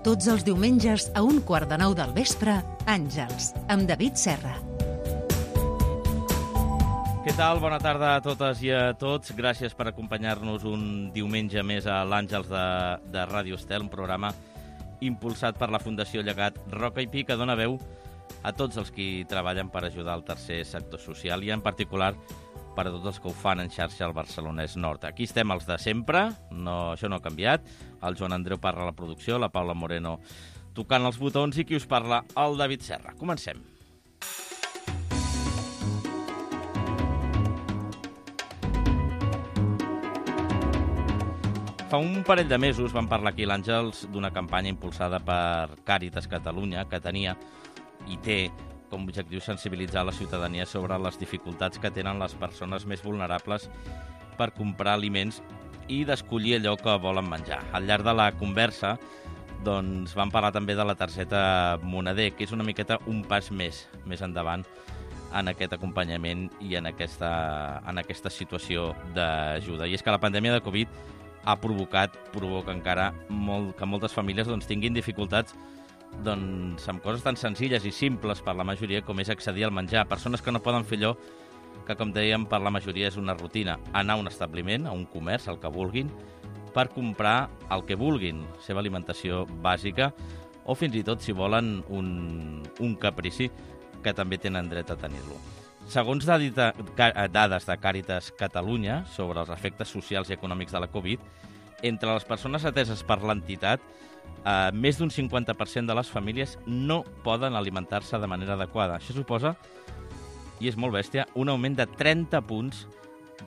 Tots els diumenges a 8:45 del vespre, Àngels, amb David Serra. Què tal? Bona tarda a totes i a tots. Gràcies per acompanyar-nos un diumenge més a l'Àngels de Ràdio Estel, un programa impulsat per la Fundació Llegat Roca i Pi, que dona veu a tots els qui treballen per ajudar el tercer sector social i en particular per a tots els que ho fan en xarxa al Barcelonès Nord. Aquí estem els de sempre, això no ha canviat. El Joan Andreu parla a la producció, la Paula Moreno tocant els botons i qui us parla, el David Serra. Comencem. Fa un parell de mesos vam parlar aquí a l'Àngels d'una campanya impulsada per Càritas Catalunya que tenia i té com a objectiu sensibilitzar la ciutadania sobre les dificultats que tenen les persones més vulnerables per comprar aliments i d'escollir allò que volen menjar. Al llarg de la conversa doncs, vam parlar també de la targeta Moneder, que és una miqueta un pas més endavant en aquest acompanyament i en aquesta situació d'ajuda. I és que la pandèmia de Covid provoca encara que moltes famílies tinguin dificultats amb coses tan senzilles i simples per la majoria com és accedir al menjar. Persones que no poden fer allò que, com dèiem, per la majoria és una rutina. Anar a un establiment, a un comerç, el que vulguin, per comprar el que vulguin, la seva alimentació bàsica, o fins i tot, si volen, un caprici, que també tenen dret a tenir-lo. Segons dades de Càritas Catalunya sobre els efectes socials i econòmics de la Covid, entre les persones ateses per l'entitat, més d'un 50% de les famílies no poden alimentar-se de manera adequada. Això suposa, i és molt bèstia, un augment de 30 punts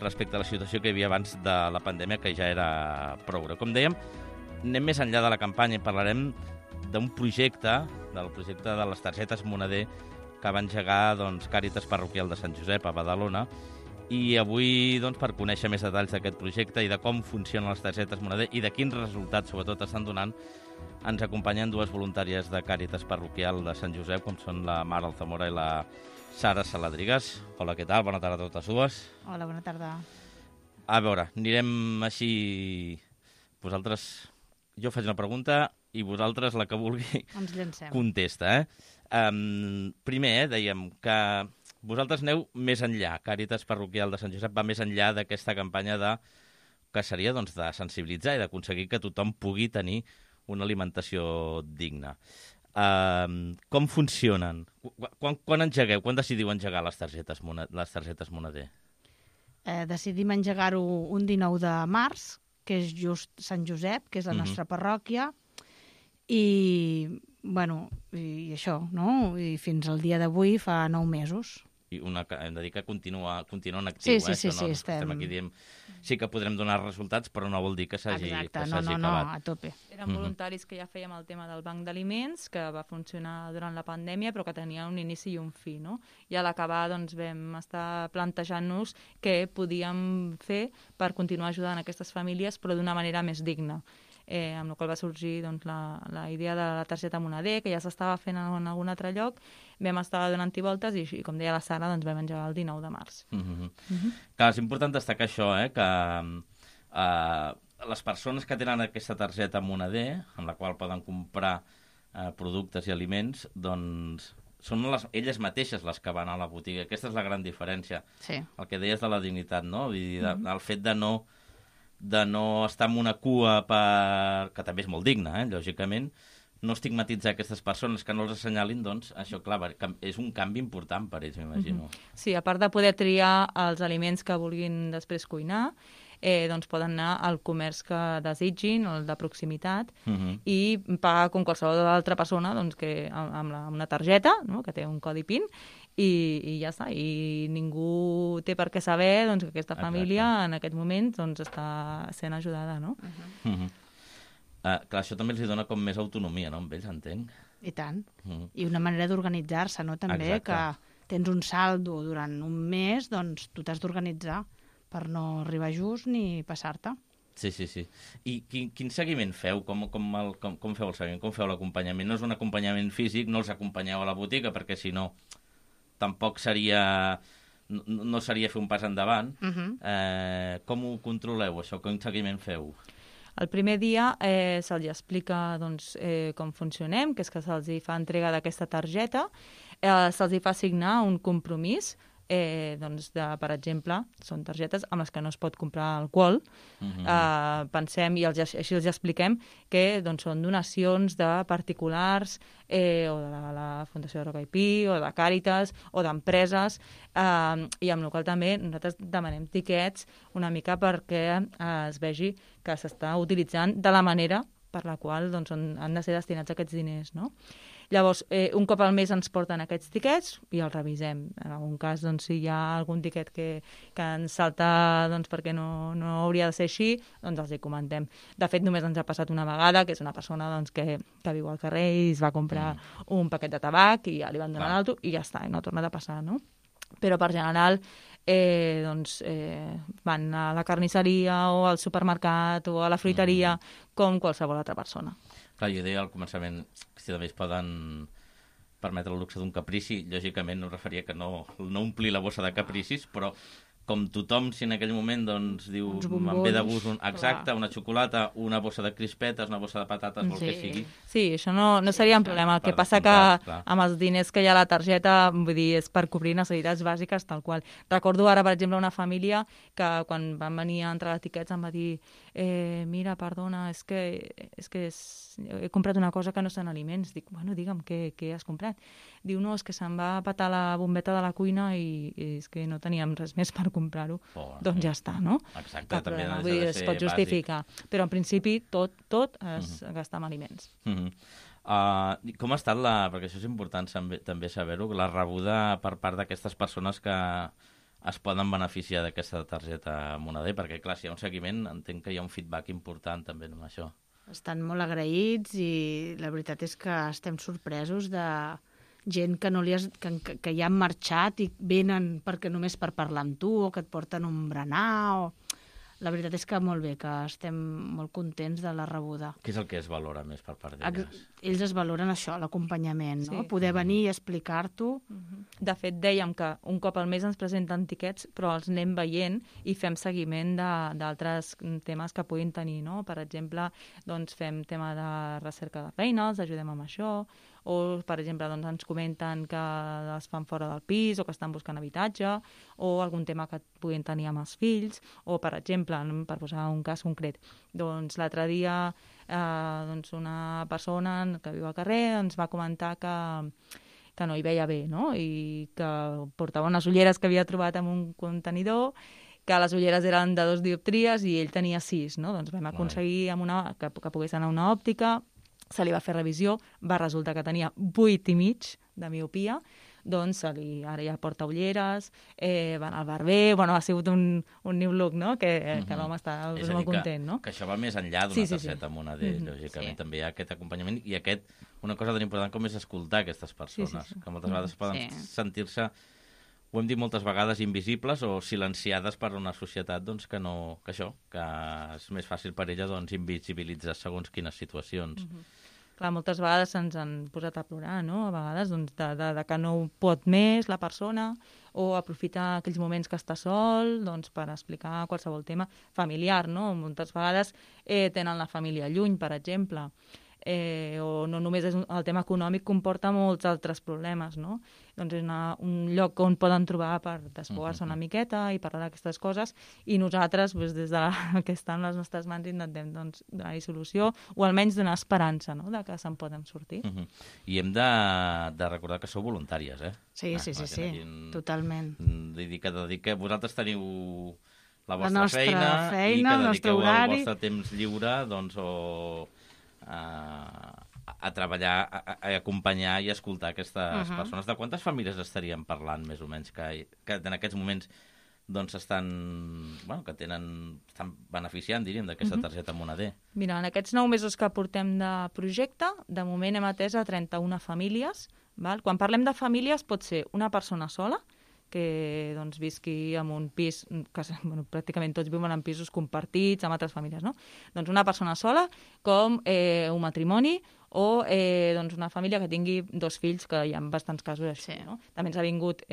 respecte a la situació que hi havia abans de la pandèmia, que ja era prou greu. Com dèiem, anem més enllà de la campanya i parlarem d'un projecte, del projecte de les targetes Moneder, que va engegar Càritas Parroquial de Sant Josep a Badalona. I avui, per conèixer més detalls d'aquest projecte i de com funcionen les targetes Moneder i de quins resultats, sobretot, estan donant, ens acompanyen dues voluntàries de Càritas Parroquial de Sant Josep, com són la Mar Alzamora i la Sara Saladrigas. Hola, què tal? Bona tarda a totes dues. Hola, bona tarda. A veure, anirem així... Jo faig una pregunta i vosaltres, la que vulgui, ens llancem. Contesta, primer, dèiem que vosaltres aneu més enllà. Càritas Parroquial de Sant Josep va més enllà d'aquesta campanya que seria de sensibilitzar i d'aconseguir que tothom pugui tenir una alimentació digna. Com funcionen? Quan engegueu? Quan decidiu engegar les targetes Moneder? Decidim engegar-ho un 19 de març, que és just Sant Josep, que és la nostra parròquia, i això, no? I fins al dia d'avui fa 9 mesos. I hem de dir que continua en actiu. Sí, estem aquí dient sí que podrem donar resultats, però no vol dir que s'hagi acabat. No, a tope. Eren voluntaris que ja fèiem el tema del banc d'aliments, que va funcionar durant la pandèmia, però que tenia un inici i un fi, no? I a l'acabar vam estar plantejant-nos què podíem fer per continuar ajudant aquestes famílies, però d'una manera més digna. Amb la qual va sorgir la idea de la targeta Moneder, que ja s'estava fent en algun altre lloc. Vam estar donant-hi voltes i, com deia la Sara, vam engegar el 19 de març. Clar, és important destacar això, que les persones que tenen aquesta targeta Moneder, amb la qual poden comprar productes i aliments, són elles mateixes les que van a la botiga. Aquesta és la gran diferència. Sí. El que deies de la dignitat, no? El fet de no estar en una cua que també és molt digna, lògicament, no estigmatitzar aquestes persones, que no els assenyalin, això, clar, és un canvi important per ells, m'imagino. Sí, a part de poder triar els aliments que vulguin després cuinar, poden anar al comerç que desitgin, el de proximitat, i pagar com qualsevol altra persona amb una targeta, no?, que té un codi PIN, i ja està. I ningú té per què saber que aquesta família en aquest moment està sent ajudada, no? Clar, això també els dona com més autonomia, no?, amb ells, entenc. I tant. I una manera d'organitzar-se, no?, també, que tens un saldo durant un mes, tu t'has d'organitzar per no arribar just ni passar-te. Sí. I quin seguiment feu? Com feu el seguiment? Com feu l'acompanyament? No és un acompanyament físic, no els acompanyeu a la botiga, perquè si no tampoc no seria fer un pas endavant. Com ho controleu, això? Quin seguiment feu? El primer dia se'ls explica doncs, com funcionem, que és que se'ls fa entrega d'aquesta targeta, se'ls fa signar un compromís, doncs per exemple, són targetes amb les que no es pot comprar alcohol. Pensem, i així els expliquem, que doncs, són donacions de particulars o de la Fundació Roca i Pi, o de Càritas, o d'empreses, i amb la qual també nosaltres demanem tiquets una mica perquè es vegi que s'està utilitzant de la manera per la qual doncs, han de ser destinats aquests diners, no? Llavors, un cop al mes ens porten aquests tiquets i els revisem. En algun cas, doncs, si hi ha algun tiquet que ens salta doncs, perquè no hauria de ser així, doncs els hi comentem. De fet, només ens ha passat una vegada, que és una persona doncs, que viu al carrer i es va comprar un paquet de tabac i ja li van donar l'alto i ja està, i no ha tornat a passar, no? Però per general van a la carnisseria o al supermercat o a la fruiteria com qualsevol altra persona. Clar, jo deia al començament que si també es poden permetre el luxe d'un caprici, lògicament no referia que no omplir la bossa de capricis, però com tothom, si en aquell moment doncs, diu, em ve de gust una xocolata, una bossa de crispetes, una bossa de patates, el que sigui. Sí, això no seria un problema. El que passa que amb els diners que hi ha a la targeta, vull dir, és per cobrir necessitats bàsiques tal qual. Recordo ara, per exemple, una família que quan van venir a entregar tiquets em va dir mira, perdona, és que he comprat una cosa que no són aliments. Dic, bueno, digue'm, què has comprat? Diu, no, és que se'm va petar la bombeta de la cuina i és que no teníem res més per comprar-ho. Doncs ja està, no? Exacte, també ha de ser es pot justificar. Però en principi tot es gasta en aliments. Com ha estat perquè això és important també saber-ho, la rebuda per part d'aquestes persones que es poden beneficiar d'aquesta targeta Moneder? Perquè, clar, si hi ha un seguiment, entenc que hi ha un feedback important també amb això. Estan molt agraïts i la veritat és que estem sorpresos de gent que ja han marxat i venen només per parlar amb tu o que et porten un berenar. La veritat és que molt bé, que estem molt contents de la rebuda. Què és el que es valora més per part d'elles? Ells es valoren això, l'acompanyament, no? Poder venir i explicar-t'ho. De fet, dèiem que un cop al mes ens presenten tiquets, però els anem veient i fem seguiment d'altres temes que puguin tenir, no? Per exemple, doncs fem tema de recerca de feina, els ajudem amb això, o, per exemple, doncs ens comenten que es fan fora del pis o que estan buscant habitatge, o algun tema que puguin tenir amb els fills, o, per exemple, per posar un cas concret, doncs l'altre dia doncs una persona que viu al carrer ens va comentar que no hi veia bé, no? I que portava unes ulleres que havia trobat en un contenidor, que les ulleres eren de 2 dioptries i ell tenia 6, no? Doncs vam aconseguir que pogués anar a una òptica, se li va fer revisió, va resultar que tenia 8,5 de miopia, doncs ara ja porta ulleres, van al barber, ha sigut un new look, no? Que l'home està molt content, no? Que això va més enllà d'una targeta Moneder, lògicament, també hi ha aquest acompanyament i una cosa tan important com és escoltar aquestes persones, que moltes vegades poden sentir-se, ho hem dit moltes vegades, invisibles o silenciades per una societat doncs, que és més fàcil per ella doncs, invisibilitzar segons quines situacions. Clar, moltes vegades ens han posat a plorar, no? A vegades doncs, de que no pot més la persona, o aprofitar aquells moments que està sol doncs, per explicar qualsevol tema familiar, no? Moltes vegades tenen la família lluny, per exemple, o no només és el tema econòmic, comporta molts altres problemes, no? Doncs és un lloc on poden trobar per desfogar-se una miqueta i parlar d'aquestes coses, i nosaltres, des de que estan les nostres mans, intentem donar-hi solució, o almenys donar esperança, no?, de que se'n poden sortir. I hem de recordar que sou voluntàries, eh? Sí, totalment. Que vosaltres teniu la vostra feina i que dediqueu el vostre temps lliure, doncs, a treballar, a acompanyar i escoltar aquestes persones. De quantes famílies estaríem parlant, més o menys, que en aquests moments doncs estan beneficiant, diríem, d'aquesta targeta Moneder? Mira, en aquests 9 mesos que portem de projecte, de moment hem atès a 31 famílies. Val? Quan parlem de famílies pot ser una persona sola, que doncs, visqui en un pis, que pràcticament tots viuen en pisos compartits amb altres famílies, no? Doncs una persona sola, com un matrimoni o doncs una família que tingui 2 fills, que hi ha bastants casos així, Sí. no? També ens ha vingut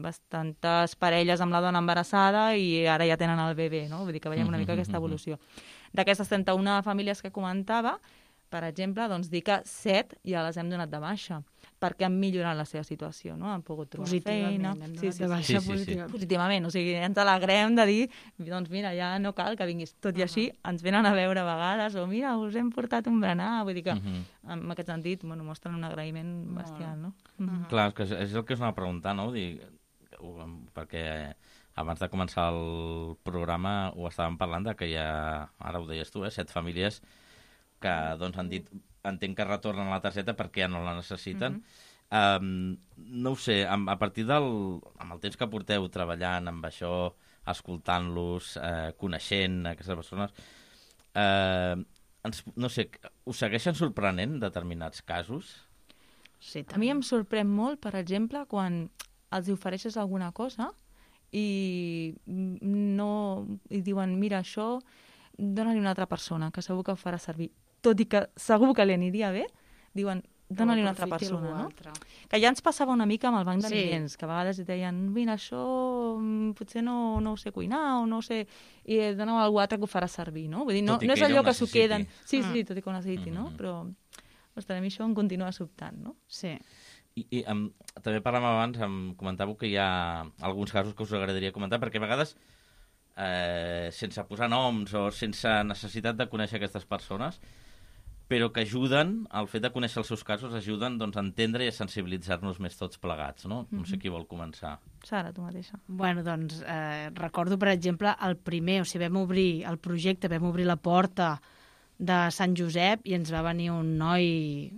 bastantes parelles amb la dona embarassada i ara ja tenen el bebè, no? Vull dir que veiem una mica aquesta evolució. D'aquestes 31 famílies que comentava, per exemple, doncs dir que 7 ja les hem donat de baixa, perquè han millorat la seva situació, no? Han pogut trobar feina. Positivament, hem donat de baixa positivament. Positivament, o sigui, ens alegrem de dir, doncs mira, ja no cal que vinguis. Tot i així, ens venen a veure a vegades, o mira, us hem portat un berenar, vull dir que, en aquest sentit, bueno, mostren un agraïment bestial, no? Clar, és el que us anava a preguntar, no? Perquè abans de començar el programa ho estàvem parlant de que hi ha, ara ho deies tu, 7 famílies que doncs, han dit, entenc que retornen la targeta perquè ja no la necessiten. No ho sé, a partir amb el temps que porteu treballant amb això, escoltant-los, coneixent aquestes persones, no sé, us segueixen sorprenent determinats casos? Sí, A mi em sorprèn molt, per exemple, quan els ofereixes alguna cosa i diuen, mira, això dona-li a una altra persona, que segur que ho farà servir. Tot i que segur que li aniria bé, diuen, dona-li a una altra persona, no? Que ja ens passava una mica amb el banc d'aliments, que a vegades deien, mira, això potser no ho sé cuinar, o no ho sé, i dona-ho a algú altre que ho farà servir, no? Vull dir, no és allò que s'ho queden. Sí, tot i que ho necessiti, no? Però, ostres, a mi això em continua sobtant, no? Sí. I també parlàvem abans, em comentàveu que hi ha alguns casos que us agradaria comentar, perquè a vegades, sense posar noms o sense necessitat de conèixer aquestes persones, però que ajuden, el fet de conèixer els seus casos, ajuden doncs, a entendre i a sensibilitzar-nos més tots plegats, no? No sé qui vol començar. Sara, tu mateixa. Bueno, doncs, recordo, per exemple, el primer, o sigui, vam obrir el projecte, vam obrir la porta de Sant Josep i ens va venir un noi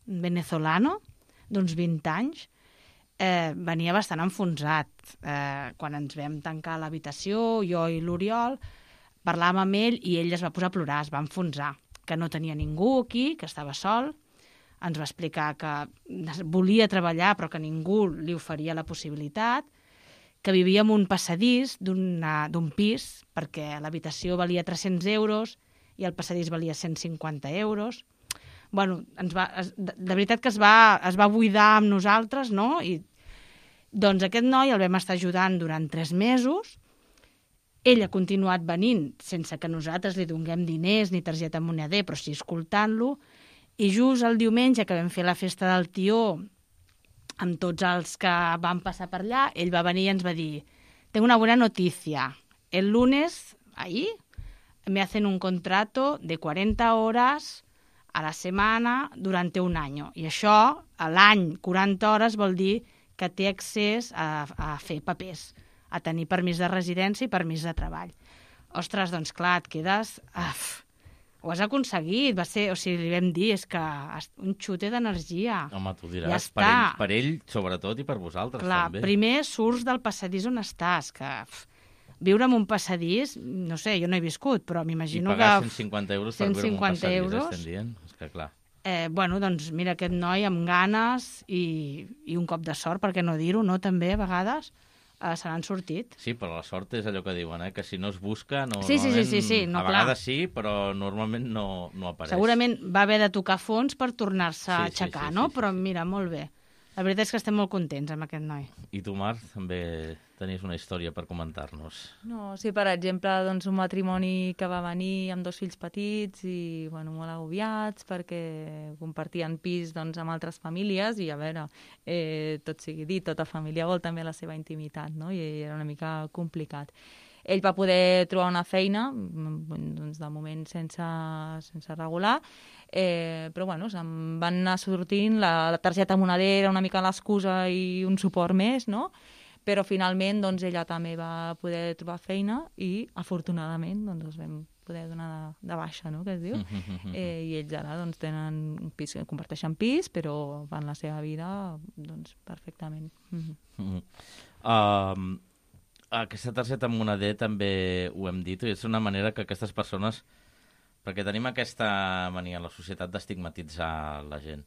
venezolano, d'uns 20 anys, venia bastant enfonsat. Quan ens vam tancar l'habitació, jo i l'Oriol, parlàvem amb ell i ell es va posar a plorar, es va enfonsar, que no tenia ningú aquí, que estava sol. Ens va explicar que volia treballar però que ningú li oferia la possibilitat, que vivia en un passadís d'un pis perquè l'habitació valia 300 euros i el passadís valia 150 euros. Bueno, de veritat que es va buidar amb nosaltres, no? I doncs aquest noi el vam estar ajudant durant 3 mesos. Ell ha continuat venint sense que nosaltres li donem diners ni targeta moneder, però sí escoltant-lo. I just el diumenge que vam fer la festa del tió amb tots els que van passar per allà, ell va venir i ens va dir: tengo una buena noticia. El lunes, ahí, me hacen un contrato de 40 horas a la setmana durante un año. I això, a l'any, 40 hores vol dir que té accés a fer papers, a tenir permís de residència i permís de treball. Ostres, doncs clar, et quedes... ho has aconseguit, va ser... O sigui, li vam dir, és que un xute d'energia. Home, tu diràs, ja per ell, sobretot, i per vosaltres, clar, també. Primer surts del passadís on estàs, que viure en un passadís, no sé, jo no he viscut, però m'imagino que... I pagar 150 euros per viure en un 150 passadís, euros. estem dient? És que clar... Bueno, doncs mira, aquest noi amb ganes i un cop de sort, per què no dir-ho, no? També, a vegades, se n'han sortit. Sí, però la sort és allò que diuen, que si no es busca, no, Sí, no, a vegades sí, però normalment no apareix. Segurament va haver de tocar fons per tornar-se a Sí, aixecar, sí, no? sí, Però mira, molt bé. La veritat és que estem molt contents amb aquest noi. I tu, Marc, també tenies una història per comentar-nos. No, sí, per exemple, doncs, un matrimoni que va venir amb 2 fills petits i bueno, molt agobiats perquè compartien pis doncs, amb altres famílies i, a veure, tot sigui dit, tota família vol també la seva intimitat, no? I era una mica complicat. Ell va poder trobar una feina, doncs, de moment sense regular, però bueno, se'n van anar sortint, la targeta monedera, una mica l'excusa i un suport més, no? Però finalment doncs, ella també va poder trobar feina i afortunadament doncs, els vam poder donar de baixa, no? Que es diu. I ells ara doncs, tenen un pis, comparteixen pis, però fan la seva vida doncs, perfectament. Aquesta targeta moneder també ho hem dit, i és una manera que aquestes persones, perquè tenim aquesta mania a la societat d'estigmatitzar la gent,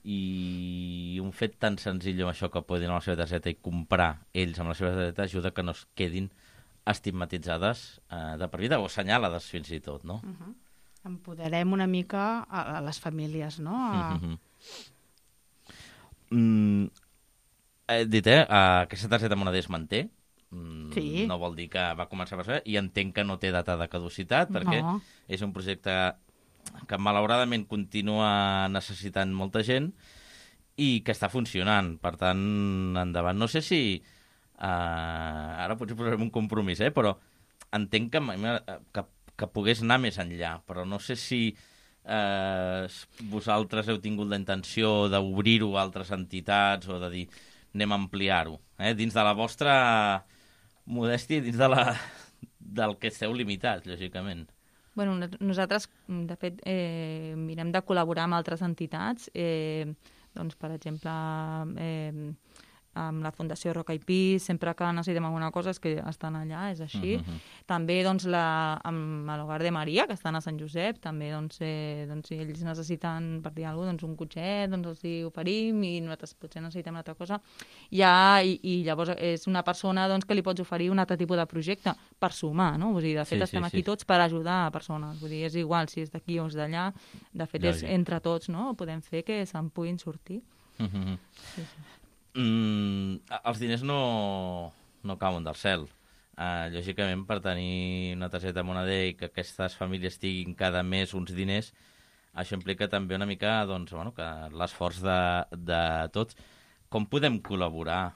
i un fet tan senzill com això que poden anar a la seva targeta i comprar ells amb la seva targeta ajuda que no es quedin estigmatitzades de per vida o assenyalades fins i tot, no? Empoderem una mica a les famílies, no? He dit, aquesta targeta moneda es manté. Sí. No vol dir que va començar a passar, i entenc que no té data de caducitat, perquè és un projecte que malauradament continua necessitant molta gent i que està funcionant. Per tant, endavant. No sé si... ara potser posarem un compromís, però entenc que pogués anar més enllà, però no sé si vosaltres heu tingut la intenció d'obrir-ho a altres entitats o de dir anem a ampliar-ho, dins de la vostra modèstia i dins del que esteu limitats, lògicament. Bueno, nosaltres, de fet, mirem de col·laborar amb altres entitats, doncs, per exemple, amb la Fundació Roca i Pi, sempre que necessitem alguna cosa és que estan allà, és així. També doncs, amb l'Hogar de Maria, que estan a Sant Josep, també doncs, si ells necessiten, per dir alguna cosa, doncs, un cotxet, doncs els hi oferim i nosaltres potser necessitem una altra cosa. I llavors és una persona doncs, que li pots oferir un altre tipus de projecte per sumar, no? Vull dir, de fet, estem aquí tots per ajudar a persones. Vull dir, és igual si és d'aquí o és d'allà. De fet, és entre tots, no? Podem fer que se'n puguin sortir. Els diners no cauen del cel. Lògicament, per tenir una targeta moneder i que aquestes famílies tinguin cada mes uns diners, això implica també una mica doncs, que l'esforç de tots. Com podem col·laborar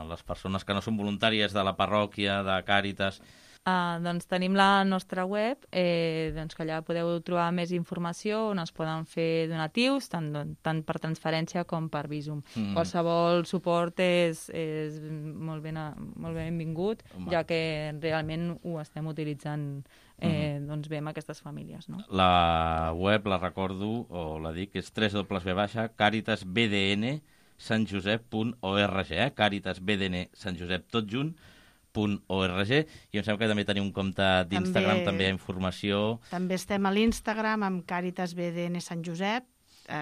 les persones que no són voluntàries de la parròquia, de Càritas? Doncs tenim la nostra web, doncs que allà podeu trobar més informació on es poden fer donatius, tant per transferència com per Bizum. Qualsevol suport és molt benvingut, ja que realment ho estem utilitzant doncs bé amb aquestes famílies. No? La web, la recordo, o la dic, és www.caritasbdnsantjosep.org, caritasbdnsantjosep, tot junt, .org, i em sembla que també teniu un compte d'Instagram, també hi ha informació. També estem a l'Instagram amb Càritas BDN Sant Josep,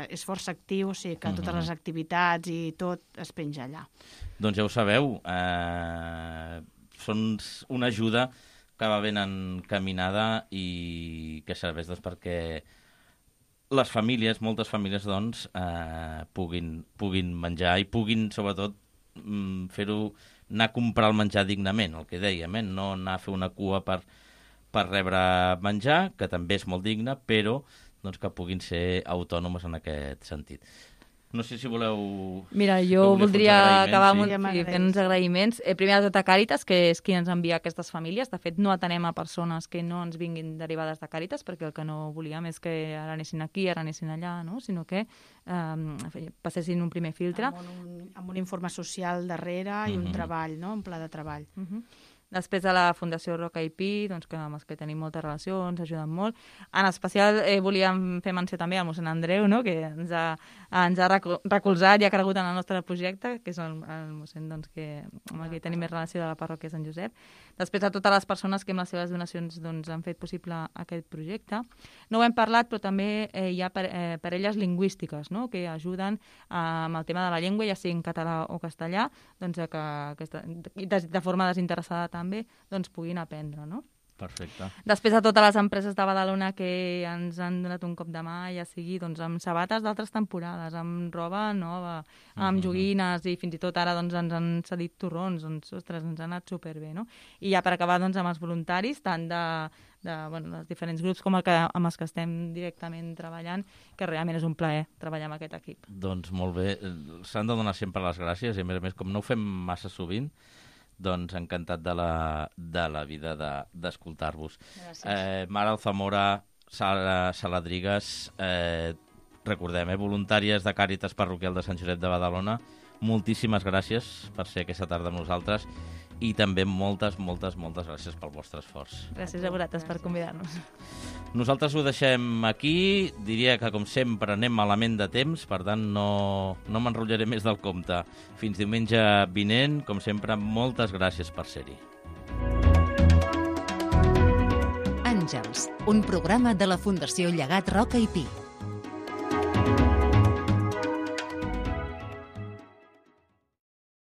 és força actiu, o sigui que totes les activitats i tot es penja allà. Doncs ja ho sabeu, són una ajuda que va ben encaminada i que serveix doncs, perquè les famílies, moltes famílies, doncs, puguin menjar i puguin, sobretot, fer-ho, anar a comprar el menjar dignament, el que dèiem, no anar a fer una cua per rebre menjar, que també és molt digne, però doncs, que puguin ser autònomes en aquest sentit. No sé si voleu... Mira, jo voldria acabar fent uns agraïments. Primer de tot a Càritas, que és qui ens envia aquestes famílies. De fet, no atenem a persones que no ens vinguin derivades de Càritas, perquè el que no volíem és que ara anessin aquí, ara anessin allà, no? Sinó que passessin un primer filtre. Amb un informe social darrere i un treball, no? Un pla de treball. Després de la Fundació Roca i Pi, doncs, que amb els que tenim moltes relacions, ajuden molt. En especial volíem fer menció també al mossèn Andreu, no? Que ens ha recolzat i ha cregut en el nostre projecte, que és el mossèn doncs, amb el que tenim més relació de la parròquia de Sant Josep. Després a totes les persones que amb les seves donacions doncs, han fet possible aquest projecte. No ho hem parlat, però també hi ha parelles lingüístiques, no? Que ajuden amb el tema de la llengua, ja sigui en català o castellà, doncs, que de forma desinteressada també doncs, puguin aprendre, no? Perfecte. Després a totes les empreses de Badalona que ens han donat un cop de mà, ja sigui doncs, amb sabates d'altres temporades, amb roba nova, amb joguines, i fins i tot ara doncs, ens han cedit torrons, doncs, ostres, ens ha anat superbé, no? I ja per acabar doncs, amb els voluntaris, tant dels diferents grups com amb els que estem directament treballant, que realment és un plaer treballar amb aquest equip. Doncs molt bé, s'han de donar sempre les gràcies, i a més, com no ho fem massa sovint, doncs encantat de la vida d'escoltar-vos. Mara Alzamora, Sara Saladrigues, recordem, voluntàries de Càritas Parroquial de Sant Josep de Badalona, moltíssimes gràcies per ser aquesta tarda amb nosaltres i també moltes gràcies pel vostre esforç. Gràcies a vosaltres per convidar-nos. Nosaltres ho deixem aquí, diria que com sempre anem malament de temps, per tant no m'enrotllaré més del compte. Fins diumenge vinent, com sempre, moltes gràcies per ser-hi. Àngels, un programa de la Fundació Llegat Roca i Pi.